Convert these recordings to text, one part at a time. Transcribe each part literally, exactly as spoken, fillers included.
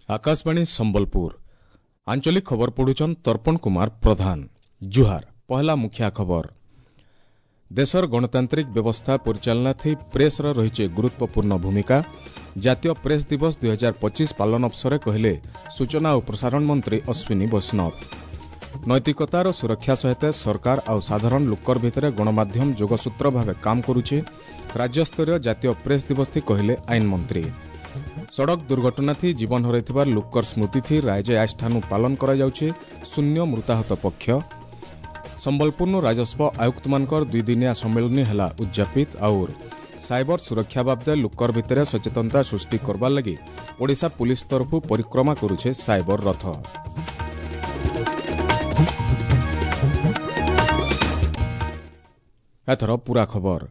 ଆକାଶବାଣୀ ସମ୍ବଲପୁର ଆଞ୍ଚଳିକ ଖବର ପଢୁଛନ୍ ତର୍ପଣ କୁମାର ପ୍ରଧାନ ଜୁହାର ପହଲା ମୁଖିଆ ଖବର ଦେଶର ଗଣତାନ୍ତ୍ରିକ ବ୍ୟବସ୍ଥା ପରିଚାଳନା ଥି ପ୍ରେସ୍ର ରହିଛି ଗୁରୁତ୍ୱପୂର୍ଣ୍ଣ ଭୂମିକା ଜାତୀୟ ପ୍ରେସ୍ ଦିବସ ଦୁଇ ହଜାର ପଚିଶ ପାଳନ ଅବସରରେ କହିଲେ ସୂଚନା ଓ ପ୍ରସାରଣ ମନ୍ତ୍ରୀ ଅଶ୍ୱିନୀ ବୈଷ୍ଣବ ନୈତିକତାର ସୁରକ୍ଷା ସହିତ ସରକାର ଆଉ ସାଧାରଣ ଲୋକର ଭିତରେ ଗଣମାଧ୍ୟମ ଯୋଗସୂତ୍ର ଭାବେ କାମ କରୁଛି ରାଜ୍ୟସ୍ତରୀୟ ଜାତୀୟ ପ୍ରେସ୍ ଦିବସ ଥି କହିଲେ ଆଇନ ମନ୍ତ୍ରୀ ସଡ଼କ ଦୁର୍ଘଟଣା ଥି ଜୀବନ ହରାଇଥିବା ଲୋକର ସ୍ମୃତି ଥି ରାଜ୍ୟ ଆଜଠାନୁ ପାଳନ କରାଯାଉଛି ଶୂନ୍ୟ ମୃତାହତ ପକ୍ଷ ସମ୍ବଲପୁରନୁ ରାଜସ୍ୱ ଆୟୁକ୍ତମାନଙ୍କର ଦୁଇଦିନିଆ ସମ୍ମିଳନୀ ହେଲା ଉଦ୍ଯାପିତ ଆଉର ସାଇବର ସୁରକ୍ଷା ବାବଦେ ଲୋକର ଭିତରେ ସଚେତନତା ସୃଷ୍ଟି କରବାର ଲାଗି ଓଡ଼ିଶା ପୁଲିସ ତରଫରୁ ପରିକ୍ରମା କରୁଛେ ସାଇବର ରଥ ଏଥର ପୁରା ଖବର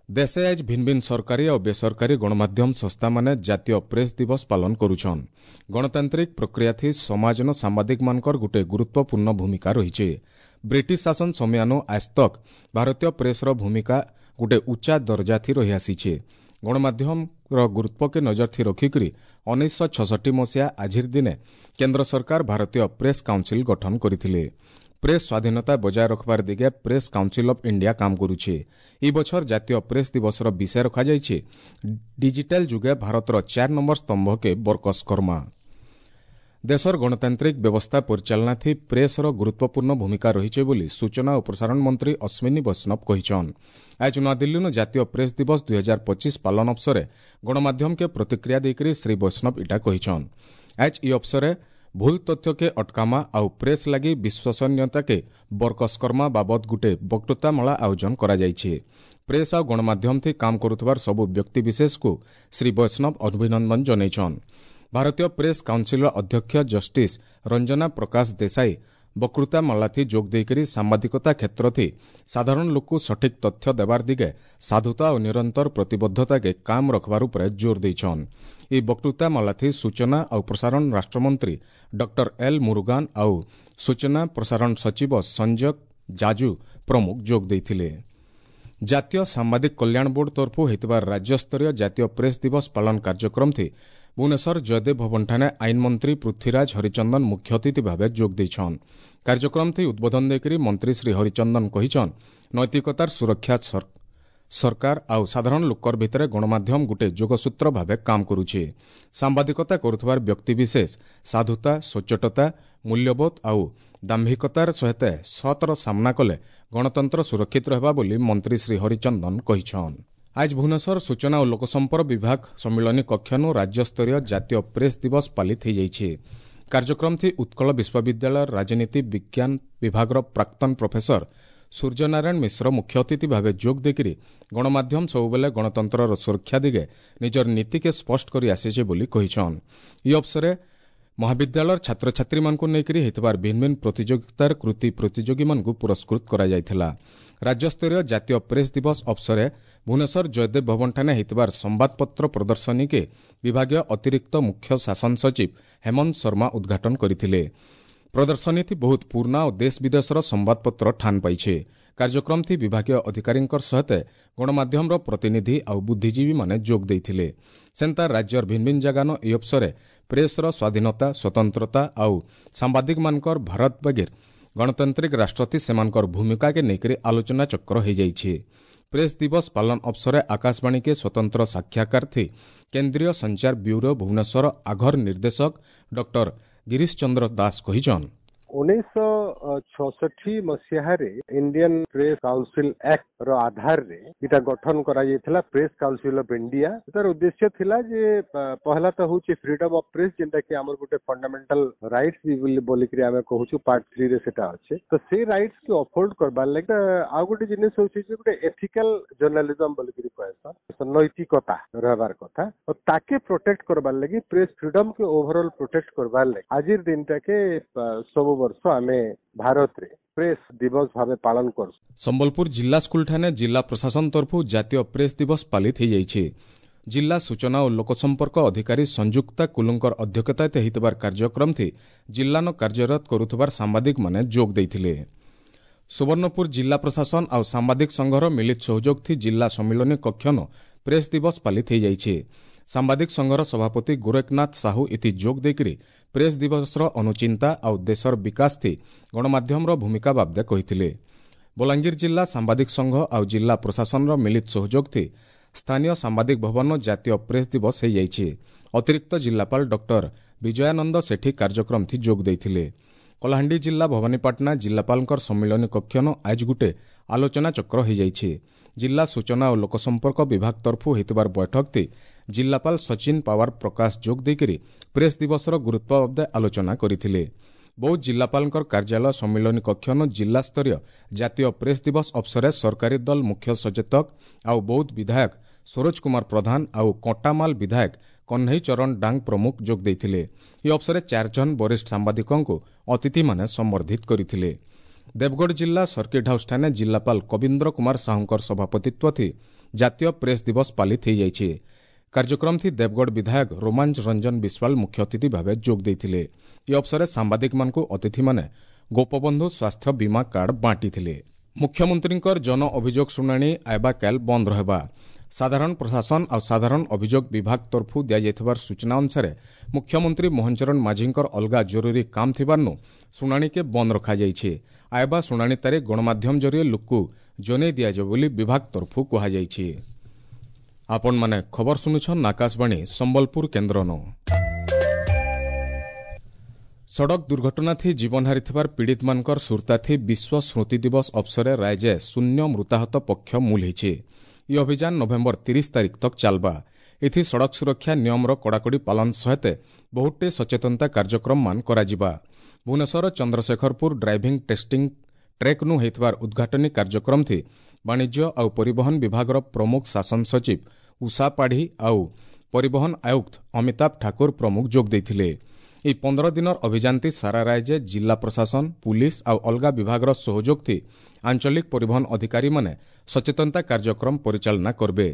ଦେଶେ ଆଜ ଭିନ୍ ଭିନ୍ ସରକାରୀ ଆଉ ବେସରକାରୀ ଗଣମାଧ୍ୟମ ସଂସ୍ଥାମାନେ ଜାତୀୟ ପ୍ରେସ୍ ଦିବସ ପାଳନ କରୁଛନ୍ ଗଣତାନ୍ତ୍ରିକ ପ୍ରକ୍ରିୟା ଥି ସମାଜନ ସାମ୍ବାଦିକମାନଙ୍କର ଗୋଟିଏ ଗୁରୁତ୍ୱପୂର୍ଣ୍ଣ ଭୂମିକା ରହିଛି ବ୍ରିଟିଶ ଶାସନ ସମୟାନୁ ଆଜ ତକ୍ ଭାରତୀୟ ପ୍ରେସ୍ର ଭୂମିକା ଗୋଟିଏ ଉଚ୍ଚା ଦର୍ଜା ଥି ରହିଆସିଛି ଗଣମାଧ୍ୟମର ଗୁରୁତ୍ୱକେ ନଜର ଥି ରଖିକରି ଉଣେଇଶହ ଛଷଠି ମସିହା ଆଜିର ଦିନେ କେନ୍ଦ୍ର ସରକାର ଭାରତୀୟ ପ୍ରେସ୍ କାଉନସିଲ୍ ଗଠନ କରିଥିଲେ ପ୍ରେସ୍ ସ୍ୱାଧୀନତା ବଜାୟ ରଖବାର ଦିଗେ ପ୍ରେସ୍ କାଉନସିଲ୍ ଅଫ୍ ଇଣ୍ଡିଆ କାମ କରୁଛି ଏହି ବଛର ଜାତୀୟ ପ୍ରେସ୍ ଦିବସର ବିଷୟ ରଖାଯାଇଛି ଡିଜିଟାଲ ଯୁଗେ ଭାରତର ଚାର ନମ୍ବର ସ୍ତମ୍ଭକେ ବରକସ କର୍ମା ଦେଶର ଗଣତାନ୍ତ୍ରିକ ବ୍ୟବସ୍ଥା ପରିଚାଳନା ଥି ପ୍ରେସ୍ର ଗୁରୁତ୍ୱପୂର୍ଣ୍ଣ ଭୂମିକା ରହିଛି ବୋଲି ସୂଚନା ଓ ପ୍ରସାରଣ ମନ୍ତ୍ରୀ ଅଶ୍ୱିନୀ ବୈଷ୍ଣବ କହିଛନ୍ ଆଜ ନୂଆଦିଲ୍ଲୀନୁ ଜାତୀୟ ପ୍ରେସ୍ ଦିବସ ଦୁଇ ହଜାର ପଚିଶ ପାଳନ ଅବସରେ ଗଣମାଧ୍ୟମକେ ପ୍ରତିକ୍ରିୟା ଦେଇକରି ଶ୍ରୀ ବୈଷ୍ଣବ ଇଟା କହିଛନ୍ ଆଜ ଇ ଅବସରେ ଭୁଲ ତଥ୍ୟକେ ଅଟକାମା ଆଉ ପ୍ରେସ୍ ଲାଗି ବିଶ୍ୱସନୀୟତାକେ ବରକସ କର୍ମା ବାବଦ ଗୁଟେ ବକ୍ତୃତାମାଳା ଆୟୋଜନ କରାଯାଇଛି ପ୍ରେସ୍ ଆଉ ଗଣମାଧ୍ୟମ ଥି କାମ କରୁଥିବାର ସବୁ ବ୍ୟକ୍ତିବିଶେଷକୁ ଶ୍ରୀ ବୈଷ୍ଣବ ଅଭିନନ୍ଦନ ଜଣାଇଛନ୍ ଭାରତୀୟ ପ୍ରେସ୍ କାଉନସିଲ୍ର ଅଧ୍ୟକ୍ଷ ଜଷ୍ଟିସ୍ ରଞ୍ଜନା ପ୍ରକାଶ ଦେଶାଇ ବକ୍ତୃତାମାଳାଥି ଯୋଗ ଦେଇକରି ସାମ୍ବାଦିକତା କ୍ଷେତ୍ରଥି ସାଧାରଣ ଲୋକକୁ ସଠିକ୍ ତଥ୍ୟ ଦେବାର ଦିଗେ ସାଧୁତା ଓ ନିରନ୍ତର ପ୍ରତିବଦ୍ଧତାକେ କାମ ରଖବାର ଉପରେ ଜୋର ଦେଇଛନ୍ ଏହି ବକ୍ତୃତାମାଳାଥି ସୂଚନା ଆଉ ପ୍ରସାରଣ ରାଷ୍ଟ୍ରମନ୍ତ୍ରୀ ଡକ୍ଟର ଏଲ୍ ମୁରୁଗାନ ଆଉ ସୂଚନା ପ୍ରସାରଣ ସଚିବ ସଞ୍ଜୟ ଜାଜୁ ପ୍ରମୁଖ ଯୋଗ ଦେଇଥିଲେ ଜାତୀୟ ସାମ୍ବାଦିକ କଲ୍ୟାଣ ବୋର୍ଡ ତରଫରୁ ହୋଇଥିବା ରାଜ୍ୟସ୍ତରୀୟ ଜାତୀୟ ପ୍ରେସ୍ ଦିବସ ପାଳନ କାର୍ଯ୍ୟକ୍ରମ ଥି ଭୁବନେଶ୍ୱର ଜୟଦେବ ଭବନଠାରେ ଆଇନ ମନ୍ତ୍ରୀ ପୃଥ୍ୱୀରାଜ ହରିଚନ୍ଦନ ମୁଖ୍ୟ ଅତିଥି ଭାବେ ଯୋଗ ଦେଇଛନ୍ କାର୍ଯ୍ୟକ୍ରମ ଥି ଉଦ୍ବୋଧନ ଦେଇକରି ମନ୍ତ୍ରୀ ଶ୍ରୀ ହରିଚନ୍ଦନ କହିଛନ୍ ନୈତିକତାର ସୁରକ୍ଷା ସରକାର ଆଉ ସାଧାରଣ ଲୋକର ଭିତରେ ଗଣମାଧ୍ୟମ ଗୋଟିଏ ଯୋଗସୂତ୍ର ଭାବେ କାମ କରୁଛି ସାମ୍ବାଦିକତା କରୁଥିବାର ବ୍ୟକ୍ତିବିଶେଷ ସାଧୁତା ସଚ୍ଚୋଟତା ମୂଲ୍ୟବୋଧ ଆଉ ଦାମ୍ଭିକତାର ସହିତ ସତର ସାମ୍ନା କଲେ ଗଣତନ୍ତ୍ର ସୁରକ୍ଷିତ ରହିବା ବୋଲି ମନ୍ତ୍ରୀ ଶ୍ରୀ ହରିଚନ୍ଦନ କହିଛନ୍ ଆଜ ଭୁବନେଶ୍ୱର ସୂଚନା ଓ ଲୋକସମ୍ପର୍କ ବିଭାଗ ସମ୍ମିଳନୀ କକ୍ଷନୁ ରାଜ୍ୟସ୍ତରୀୟ ଜାତୀୟ ପ୍ରେସ୍ ଦିବସ ପାଳିତ ହୋଇଯାଇଛି କାର୍ଯ୍ୟକ୍ରମ ଥି ଉତ୍କଳ ବିଶ୍ୱବିଦ୍ୟାଳୟର ରାଜନୀତି ବିଜ୍ଞାନ ବିଭାଗର ପ୍ରାକ୍ତନ ପ୍ରଫେସର ସୂର୍ଯ୍ୟନାରାୟଣ ମିଶ୍ର ମୁଖ୍ୟ ଅତିଥି ଭାବେ ଯୋଗ ଦେଇକରି ଗଣମାଧ୍ୟମ ସବୁବେଳେ ଗଣତନ୍ତ୍ରର ସୁରକ୍ଷା ଦିଗେ ନିଜର ନୀତିକେ ସ୍ପଷ୍ଟ କରି ଆସିছে ବୋଲି କହିଛନ୍ ଏହି ଅବସରେ ମହାବିଦ୍ୟାଳୟର ଛାତ୍ରଛାତ୍ରୀମାନଙ୍କୁ ନେଇକରି ହୋଇଥିବାର ଭିନ୍ନ ଭିନ୍ନ ପ୍ରତିଯୋଗିତାର କୃତି ପ୍ରତିଯୋଗୀମାନଙ୍କୁ ପୁରସ୍କୃତ କରାଯାଇଥିଲା ରାଜ୍ୟସ୍ତରୀୟ ଜାତୀୟ ପ୍ରେସ୍ ଦିବସ ଅବସରେ ଭୁବନେଶ୍ୱର ଜୟଦେବ ଭବନଠାରେ ହୋଇଥିବାର ସମ୍ବାଦପତ୍ର ପ୍ରଦର୍ଶନୀକେ ବିଭାଗୀୟ ଅତିରିକ୍ତ ମୁଖ୍ୟ ଶାସନ ସଚିବ ହେମନ୍ତ ଶର୍ମା ଉଦ୍ଘାଟନ କରିଥିଲେ ପ୍ରଦର୍ଶନୀଥି ବହୁତ ପୁରୁଣା ଓ ଦେଶ ବିଦେଶର ସମ୍ବାଦପତ୍ର ଠାନ ପାଇছে କାର୍ଯ୍ୟକ୍ରମ ଥି ବିଭାଗୀୟ ଅଧିକାରୀଙ୍କର ସହିତ ଗଣମାଧ୍ୟମର ପ୍ରତିନିଧି ଆଉ ବୁଦ୍ଧିଜୀବୀମାନେ ଯୋଗ ଦେଇଥିଲେ ସେନ୍ତା ରାଜ୍ୟର ଭିନ୍ନ ଭିନ୍ନ ଜାଗାନ ଏହି ଅବସରେ ପ୍ରେସ୍ର ସ୍ୱାଧୀନତା ସ୍ୱତନ୍ତ୍ରତା ଆଉ ସାମ୍ବାଦିକମାନଙ୍କର ଭାରତ ବଗିର ଗଣତାନ୍ତ୍ରିକ ରାଷ୍ଟ୍ରଥି ସେମାନଙ୍କର ଭୂମିକାକେ ନେଇକରି ଆଲୋଚନା ଚକ୍ର ହୋଇଯାଇଛି ପ୍ରେସ୍ ଦିବସ ପାଳନ ଅବସରେ ଆକାଶବାଣୀକେ ସ୍ୱତନ୍ତ୍ର ସାକ୍ଷାତକାର ଥି କେନ୍ଦ୍ରୀୟ ସଞ୍ଚାର ବ୍ୟୁରୋ ଭୁବନେଶ୍ୱର ଆଘର ନିର୍ଦ୍ଦେଶକ ଡକ୍ଟର ଗିରୀଶ ଚନ୍ଦ୍ର ଦାସ କହିଛନ୍ ଉଣେଇଶହ ଛଅଷଠି ମସିହାରେ ଇଣ୍ଡିଆନ ପ୍ରେସ୍ କାଉନସିଲ ଆକ୍ଟ ର ଆଧାରରେ ଏଇଟା ଗଠନ କରାଯାଇଥିଲା ପ୍ରେସ୍ କାଉନସିଲ ଅଫ ଇଣ୍ଡିଆ ତାର ଉଦ୍ଦେଶ୍ୟ ଥିଲା ଯେ ପହଲା ତ ହଉଛି ଫ୍ରିଡମ ଅଫ ପ୍ରେସ୍ ଯେନ୍ଟା କି ଆମର ଗୋଟେ ଫଣ୍ଡାମେଣ୍ଟାଲ ରାଇଟ୍ସ ବି ବୋଲି ବୋଲିକିରି ଆମେ କହୁଛୁ ପାର୍ଟ ଥ୍ରୀରେ ସେଟା ଅଛି ତ ସେ ରାଇଟ୍ସ କି ଅପହୋଲ୍ଡ କରବାର ଲାଗି ଆଉ ଗୋଟେ ଜିନିଷ ହଉଛି ଯେ ଗୋଟେ ଏଥିକାଲ ଜର୍ଣ୍ଣାଲିଜମ ବୋଲିକିରି କହେସନ୍ ନୈତିକତା ରହିବାର କଥା ତ ତାକେ ପ୍ରୋଟେକ୍ଟ କରବାର ଲାଗି ପ୍ରେସ୍ ଫ୍ରିଡମ କେ ଓଭରଅଲ ପ୍ରୋଟେକ୍ଟ କରବାର ଲାଗି ଆଜିର ଦିନଟାକେ ସବୁ ବର୍ଷ ଆମେ ଭାରତରେ ପ୍ରେସ୍ ଦିବସ ଭାବେ ପାଳନ କରୁଛୁ ସମ୍ବଲପୁର ଜିଲ୍ଲା ସ୍କୁଲଠାରେ ଜିଲ୍ଲା ପ୍ରଶାସନ ତରଫରୁ ଜାତୀୟ ପ୍ରେସ୍ ଦିବସ ପାଳିତ ହୋଇଯାଇଛି ଜିଲ୍ଲା ସୂଚନା ଓ ଲୋକସମ୍ପର୍କ ଅଧିକାରୀ ସଂଯୁକ୍ତା କୁଲୁଙ୍କର ଅଧ୍ୟକ୍ଷତାରେ ହୋଇଥିବାର କାର୍ଯ୍ୟକ୍ରମ ଥି ଜିଲ୍ଲାନ କାର୍ଯ୍ୟରତ କରୁଥିବାର ସାମ୍ବାଦିକମାନେ ଯୋଗ ଦେଇଥିଲେ ସୁବର୍ଣ୍ଣପୁର ଜିଲ୍ଲା ପ୍ରଶାସନ ଆଉ ସାମ୍ବାଦିକ ସଂଘର ମିଳିତ ସହଯୋଗ ଥି ଜିଲ୍ଲା ସମ୍ମିଳନୀ କକ୍ଷନ ପ୍ରେସ୍ ଦିବସ ପାଳିତ ହୋଇଯାଇଛି ସାମ୍ବାଦିକ ସଂଘର ସଭାପତି ଗୋରେଖନାଥ ସାହୁ ଏଥି ଯୋଗ ଦେଇକରି ପ୍ରେସ୍ ଦିବସର ଅନୁଚିନ୍ତା ଆଉ ଦେଶର ବିକାଶ ଥି ଗଣମାଧ୍ୟମର ଭୂମିକା ବାବଦେ କହିଥିଲେ। ବଲାଙ୍ଗୀର ଜିଲ୍ଲା ସାମ୍ବାଦିକ ସଂଘ ଆଉ ଜିଲ୍ଲା ପ୍ରଶାସନର ମିଳିତ ସହଯୋଗ ଥି ସ୍ଥାନୀୟ ସାମ୍ବାଦିକ ଭବନ ଜାତୀୟ ପ୍ରେସ୍ ଦିବସ ହୋଇଯାଇଛି। ଅତିରିକ୍ତ ଜିଲ୍ଲାପାଳ ଡକ୍ଟର ବିଜୟାନନ୍ଦ ସେଠୀ କାର୍ଯ୍ୟକ୍ରମଥି ଯୋଗ ଦେଇଥିଲେ। କଳାହାଣ୍ଡି ଜିଲ୍ଲା ଭବାନୀପାଟଣା ଜିଲ୍ଲାପାଳଙ୍କର ସମ୍ମିଳନୀ କକ୍ଷନ ଆଜ ଗୁଟେ ଆଲୋଚନା ଚକ୍ର ହୋଇଯାଇଛି। ଜିଲ୍ଲା ସୂଚନା ଓ ଲୋକସମ୍ପର୍କ ବିଭାଗ ତରଫୁ ହୋଇଥିବାର ବୈଠକଥି ଜିଲ୍ଲାପାଳ ସଚିନ ପାୱାର ପ୍ରକାଶ ଯୋଗ ଦେଇକରି ପ୍ରେସ୍ ଦିବସର ଗୁରୁତ୍ୱ ବାବଦେ ଆଲୋଚନା କରିଥିଲେ। ବୌଦ୍ଧ ଜିଲ୍ଲାପାଳଙ୍କର କାର୍ଯ୍ୟାଳୟ ସମ୍ମିଳନୀ କକ୍ଷନ ଜିଲ୍ଲାସ୍ତରୀୟ ଜାତୀୟ ପ୍ରେସ୍ ଦିବସ ଅବସରରେ ସରକାରୀ ଦଳ ମୁଖ୍ୟ ସଚେତକ ଆଉ ବୌଦ୍ଧ ବିଧାୟକ ସରୋଜ କୁମାର ପ୍ରଧାନ ଆଉ କଣ୍ଟାମାଲ ବିଧାୟକ କହ୍ନେଇ ଚରଣ ଡାଙ୍ଗ ପ୍ରମୁଖ ଯୋଗ ଦେଇଥିଲେ। ଏହି ଅବସରରେ ଚାରିଜଣ ବରିଷ୍ଠ ସାମ୍ବାଦିକଙ୍କୁ ଅତିଥିମାନେ ସମ୍ବର୍ଦ୍ଧିତ କରିଥିଲେ। ଦେବଗଡ଼ ଜିଲ୍ଲା ସର୍କିଟ୍ ହାଉସ୍ଠାରେ ଜିଲ୍ଲାପାଳ କବୀନ୍ଦ୍ର କୁମାର ସାହୁଙ୍କର ସଭାପତିତ୍ୱ ଜାତୀୟ ପ୍ରେସ୍ ଦିବସ ପାଳିତ ହୋଇଯାଇଛି। କାର୍ଯ୍ୟକ୍ରମଥି ଦେବଗଡ଼ ବିଧାୟକ ରୋମାଞ୍ଚ ରଞ୍ଜନ ବିଶ୍ୱାଳ ମୁଖ୍ୟ ଅତିଥି ଭାବେ ଯୋଗ ଦେଇଥିଲେ। ଏହି ଅବସରରେ ସାମ୍ବାଦିକମାନଙ୍କୁ ଅତିଥିମାନେ ଗୋପବନ୍ଧୁ ସ୍ୱାସ୍ଥ୍ୟ ବୀମା କାର୍ଡ ବାଣ୍ଟିଥିଲେ। ମୁଖ୍ୟମନ୍ତ୍ରୀଙ୍କର ଜନ ଅଭିଯୋଗ ଶୁଣାଣି ଆଇବା କାଲ ବନ୍ଦ ରହିବା। ସାଧାରଣ ପ୍ରଶାସନ ଆଉ ସାଧାରଣ ଅଭିଯୋଗ ବିଭାଗ ତରଫରୁ ଦିଆଯାଇଥିବାର ସୂଚନା ଅନୁସାରେ ମୁଖ୍ୟମନ୍ତ୍ରୀ ମୋହନ ଚରଣ ମାଝୀଙ୍କର ଅଲଗା ଜରୁରୀ କାମ ଥିବାରୁ ଶୁଣାଣିକେ ବନ୍ଦ ରଖାଯାଇଛି। ଆଇବା ଶୁଣାଣି ତାରିଖ ଗଣମାଧ୍ୟମ ଜରିଏ ଲୋକକୁ ଜଣାଇ ଦିଆଯିବ ବୋଲି ବିଭାଗ ତରଫରୁ କୁହାଯାଇଛି। ଆପଣମାନେ ଖବର ଶୁଣୁଛନ୍ ଆକାଶବାଣୀ ସମ୍ବଲପୁର କେନ୍ଦ୍ରନୁ। ସଡ଼କ ଦୁର୍ଘଟଣାଥି ଜୀବନ ହାରିଥିବାର ପୀଡ଼ିତମାନଙ୍କର ସୁରତାଥି ବିଶ୍ୱ ସ୍ମୃତି ଦିବସ ଅବସରରେ ରାଜ୍ୟ ଶୂନ୍ୟ ମୃତାହତ ପକ୍ଷ ମୂଲ ହେଇଛି। ଏହି ଅଭିଯାନ ନଭେମ୍ବର ତିରିଶ ତାରିଖ ତକ୍ ଚାଲବା। ଏଥି ସଡ଼କ ସୁରକ୍ଷା ନିୟମର କଡ଼ାକଡ଼ି ପାଳନ ସହିତ ବହୁତଟେ ସଚେତନତା କାର୍ଯ୍ୟକ୍ରମମାନ କରାଯିବା। ଭୁବନେଶ୍ୱର ଚନ୍ଦ୍ରଶେଖରପୁର ଡ୍ରାଇଭିଂ ଟେଷ୍ଟିଂ ଟ୍ରେକ୍ନୁ ହୋଇଥିବାର ଉଦ୍ଘାଟନୀ କାର୍ଯ୍ୟକ୍ରମଥି ବାଣିଜ୍ୟ ଆଉ ପରିବହନ ବିଭାଗର ପ୍ରମୁଖ ଶାସନ ସଚିବ ଉଷା ପାଢ଼ୀ ଆଉ ପରିବହନ ଆୟୁକ୍ତ ଅମିତାଭ ଠାକୁର ପ୍ରମୁଖ ଯୋଗ ଦେଇଥିଲେ। ଏହି ପନ୍ଦର ଦିନର ଅଭିଯାନଟି ସାରା ରାଜ୍ୟ ଜିଲ୍ଲା ପ୍ରଶାସନ, ପୁଲିସ ଆଉ ଅଲଗା ବିଭାଗର ସହଯୋଗଥି ଆଞ୍ଚଳିକ ପରିବହନ ଅଧିକାରୀମାନେ ସଚେତନତା କାର୍ଯ୍ୟକ୍ରମ ପରିଚାଳନା କରିବେ।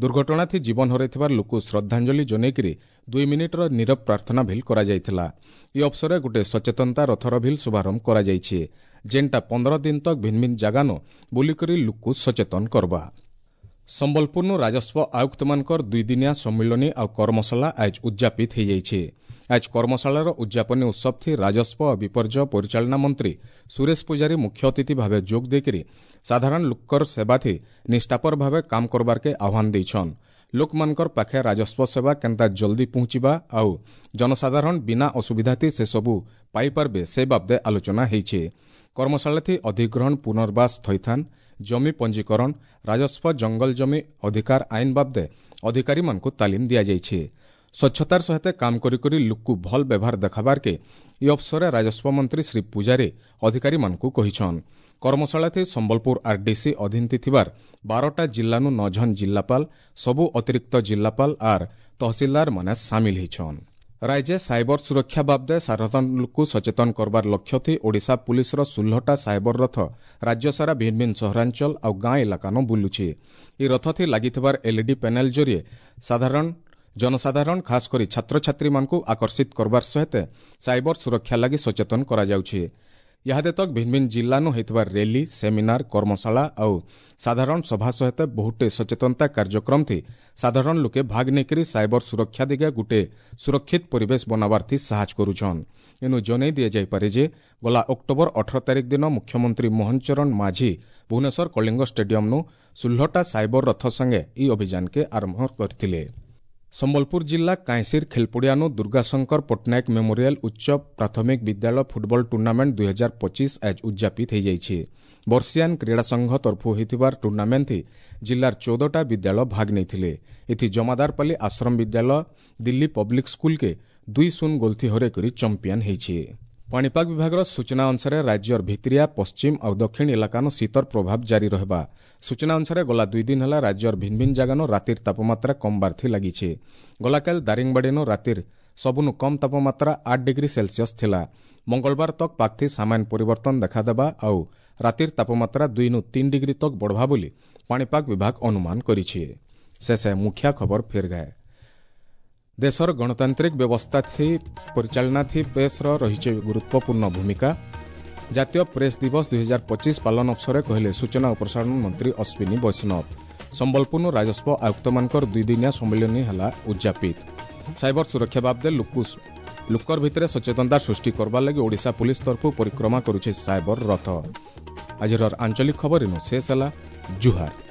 ଦୁର୍ଘଟଣାଥି ଜୀବନ ହରାଇଥିବା ଲୋକକୁ ଶ୍ରଦ୍ଧାଞ୍ଜଳି ଜଣାଇକରି ଦୁଇ ମିନିଟ୍ର ନୀରବ ପ୍ରାର୍ଥନା ଭିଲ୍ କରାଯାଇଥିଲା। ଏହି ଅବସରରେ ଗୋଟିଏ ସଚେତନତା ରଥର ଭିଲ୍ ଶୁଭାରମ୍ଭ କରାଯାଇଛି, ଯେନ୍ଟା ପନ୍ଦର ଦିନ ତକ୍ ଭିନ୍ନ ଭିନ୍ନ ଜାଗାନୁ ବୁଲିକରି ଲୋକକୁ ସଚେତନ କରବା। ସମ୍ବଲପୁରନୁ ରାଜସ୍ୱ ଆୟୁକ୍ତମାନଙ୍କର ଦୁଇଦିନିଆ ସମ୍ମିଳନୀ ଆଉ କର୍ମଶାଳା ଆଜ ଉଦ୍ଯାପିତ ହୋଇଯାଇଛି। ଆଜ କର୍ମଶାଳାର ଉଦ୍ଯାପନୀ ଉତ୍ସବଥି ରାଜସ୍ୱ ଓ ବିପର୍ଯ୍ୟୟ ପରିଚାଳନା ମନ୍ତ୍ରୀ ସୁରେଶ ପୂଜାରୀ ମୁଖ୍ୟ ଅତିଥି ଭାବେ ଯୋଗ ଦେଇକରି ସାଧାରଣ ଲୋକର ସେବାଥି ନିଷ୍ଠାପର ଭାବେ କାମ କରବାର୍କେ ଆହ୍ୱାନ ଦେଇଛନ୍। ଲୋକମାନଙ୍କର ପାଖେ ରାଜସ୍ୱ ସେବା କେନ୍ତା ଜଲ୍ଦି ପହଞ୍ଚିବା ଆଉ ଜନସାଧାରଣ ବିନା ଅସୁବିଧାଥି ସେସବୁ ପାଇପାରବେ ସେ ବାବଦେ ଆଲୋଚନା ହେଇଛି। କର୍ମଶାଳାଥି ଅଧିଗ୍ରହଣ, ପୁନର୍ବାସ, ଥଇଥାନ, ଜମି ପଞ୍ଜୀକରଣ, ରାଜସ୍ୱ ଜଙ୍ଗଲ ଜମି ଅଧିକାର ଆଇନ ବାବଦେ ଅଧିକାରୀମାନଙ୍କୁ ତାଲିମ ଦିଆଯାଇଛି। ସ୍ୱଚ୍ଛତାର ସହିତ କାମ କରି କରି ଲୋକକୁ ଭଲ ବ୍ୟବହାର ଦେଖାବାର୍କେ ଏହି ଅବସରରେ ରାଜସ୍ୱ ମନ୍ତ୍ରୀ ଶ୍ରୀ ପୂଜାରୀ ଅଧିକାରୀମାନଙ୍କୁ କହିଛନ୍। କର୍ମଶାଳାଥି ସମ୍ବଲପୁର ଆର୍ଡିସି ଅଧୀନତି ଥିବାର ବାରଟା ଜିଲ୍ଲାନୁ ନଅ ଜଣ ଜିଲ୍ଲାପାଳ, ସବୁ ଅତିରିକ୍ତ ଜିଲ୍ଲାପାଳ ଆର୍ ତହସିଲଦାରମାନେ ସାମିଲ ହେଇଛନ୍। ରାଜ୍ୟ ସାଇବର ସୁରକ୍ଷା ବାବଦେ ସାଧାରଣ ଲୋକକୁ ସଚେତନ କରବାର ଲକ୍ଷ୍ୟଥି ଓଡ଼ିଶା ପୁଲିସର ଷୋହଳଟା ସାଇବର ରଥ ରାଜ୍ୟସାରା ଭିନ୍ନ ଭିନ୍ନ ସହରାଞ୍ଚଳ ଆଉ ଗାଁ ଇଲାକାନ ବୁଲୁଛି। ଏହି ରଥଥି ଲାଗିଥିବାର ଏଲ୍ଇଡି ପ୍ୟାନେଲ ଜରିଏ ସାଧାରଣ ଜନସାଧାରଣ ଖାସ କରି ଛାତ୍ରଛାତ୍ରୀମାନଙ୍କୁ ଆକର୍ଷିତ କରବାର ସହିତ ସାଇବର ସୁରକ୍ଷା ଲାଗି ସଚେତନ କରାଯାଉଛି। ଇହାଦେ ତକ୍ ଭିନ୍ନ ଭିନ୍ନ ଜିଲ୍ଲାନୁ ହୋଇଥିବା ରେଲି, ସେମିନାର, କର୍ମଶାଳା ଆଉ ସାଧାରଣ ସଭା ସହିତ ବହୁଟେ ସଚେତନତା କାର୍ଯ୍ୟକ୍ରମଥି ସାଧାରଣ ଲୋକେ ଭାଗ ନେଇକରି ସାଇବର ସୁରକ୍ଷା ଦିଗେ ଗୁଟେ ସୁରକ୍ଷିତ ପରିବେଶ ବନାବାର୍ଥି ସାହାଯ୍ୟ କରୁଛନ୍। ଏନୁ ଜଣାଇ ଦିଆଯାଇପାରେ ଯେ ଗଲା ଅକ୍ଟୋବର ଅଠର ତାରିଖ ଦିନ ମୁଖ୍ୟମନ୍ତ୍ରୀ ମୋହନ ଚରଣ ମାଝୀ ଭୁବନେଶ୍ୱର କଳିଙ୍ଗ ଷ୍ଟାଡିୟମନୁ ଷୋହଳଟା ସାଇବର ରଥ ସଙ୍ଗେ ଏହି ଅଭିଯାନକେ ଆରମ୍ଭ କରିଥିଲେ। ସମ୍ବଲପୁର ଜିଲ୍ଲା କାଇଁସିର ଖେଲପଡ଼ିଆନୁ ଦୁର୍ଗାଶଙ୍କର ପଟ୍ଟନାୟକ ମେମୋରିଆଲ ଉଚ୍ଚ ପ୍ରାଥମିକ ବିଦ୍ୟାଳୟ ଫୁଟବଲ ଟୁର୍ଣ୍ଣାମେଣ୍ଟ ଦୁଇ ହଜାର ପଚିଶ ଆଜ ଉଦ୍ଯାପିତ ହୋଇଯାଇଛି। ବର୍ଷିଆନ କ୍ରୀଡ଼ା ସଂଘ ତରଫୁ ହୋଇଥିବାର ଟୁର୍ଣ୍ଣାମେଣ୍ଟ ଜିଲ୍ଲାର ଚଉଦଟା ବିଦ୍ୟାଳୟ ଭାଗ ନେଇଥିଲେ। ଏଥି ଜମାଦାରପାଲି ଆଶ୍ରମ ବିଦ୍ୟାଳୟ ଦିଲ୍ଲୀ ପବ୍ଲିକ ସ୍କୁଲକେ ଦୁଇ ଶୂନ ଗୋଲଥି ହରେଇ କରି ଚମ୍ପିଆନ ହୋଇଛି। ପାଣିପାଗ ବିଭାଗର ସୂଚନା ଅନୁସାରେ ରାଜ୍ୟର ଭିତିରିଆ, ପଶ୍ଚିମ ଆଉ ଦକ୍ଷିଣ ଇଲାକାନୁ ଶୀତର ପ୍ରଭାବ ଜାରି ରହିବା। ସୂଚନା ଅନୁସାରେ ଗଲା ଦୁଇ ଦିନ ହେଲା ରାଜ୍ୟର ଭିନ୍ନ ଭିନ୍ନ ଜାଗାନୁ ରାତିର ତାପମାତ୍ରା କମବାର୍ଥି ଲାଗିଛି। ଗଲାକାଲି ଦାରିଙ୍ଗବାଡ଼ିନୁ ରାତିର ସବୁନୁ କମ୍ ତାପମାତ୍ରା ଆଠ ଡିଗ୍ରୀ ସେଲସିୟସ୍ ଥିଲା। ମଙ୍ଗଳବାର ତକ୍ ପାଗଥି ସାମାନ୍ୟ ପରିବର୍ତ୍ତନ ଦେଖାଦେବା ଆଉ ରାତିର ତାପମାତ୍ରା ଦୁଇନୁ ତିନି ଡିଗ୍ରୀ ତକ୍ ବଢ଼ବା ବୋଲି ପାଣିପାଗ ବିଭାଗ ଅନୁମାନ କରିଛି। ଶେଷେ ମୁଖ୍ୟ ଖବର ଫେର ଗାଏ। ଦେଶର ଗଣତାନ୍ତ୍ରିକ ବ୍ୟବସ୍ଥା ଥି ପରିଚାଳନା ଥି ପ୍ରେସ୍ର ରହିଛି ଗୁରୁତ୍ୱପୂର୍ଣ୍ଣ ଭୂମିକା। ଜାତୀୟ ପ୍ରେସ୍ ଦିବସ ଦୁଇ ହଜାର ପଚିଶ ପାଳନ ଅବସରରେ କହିଲେ ସୂଚନା ଓ ପ୍ରସାରଣ ମନ୍ତ୍ରୀ ଅଶ୍ୱିନୀ ବୈଷ୍ଣବ। ସମ୍ବଲପୁରନୁ ରାଜସ୍ୱ ଆୟୁକ୍ତମାନଙ୍କର ଦୁଇଦିନିଆ ସମ୍ମିଳନୀ ହେଲା ଉଦ୍ଯାପିତ। ସାଇବର ସୁରକ୍ଷା ବାବଦେ ଲୁକୁ ଲୁକର ଭିତରେ ସଚେତନତା ସୃଷ୍ଟି କରବାର୍ ଲାଗି ଓଡ଼ିଶା ପୁଲିସ ତରଫରୁ ପରିକ୍ରମା କରୁଛେ ସାଇବର ରଥ। ଆଜିର ଆଞ୍ଚଳିକ ଖବର ଇନୁ ଶେଷ ହେଲା। ଜୁହାର।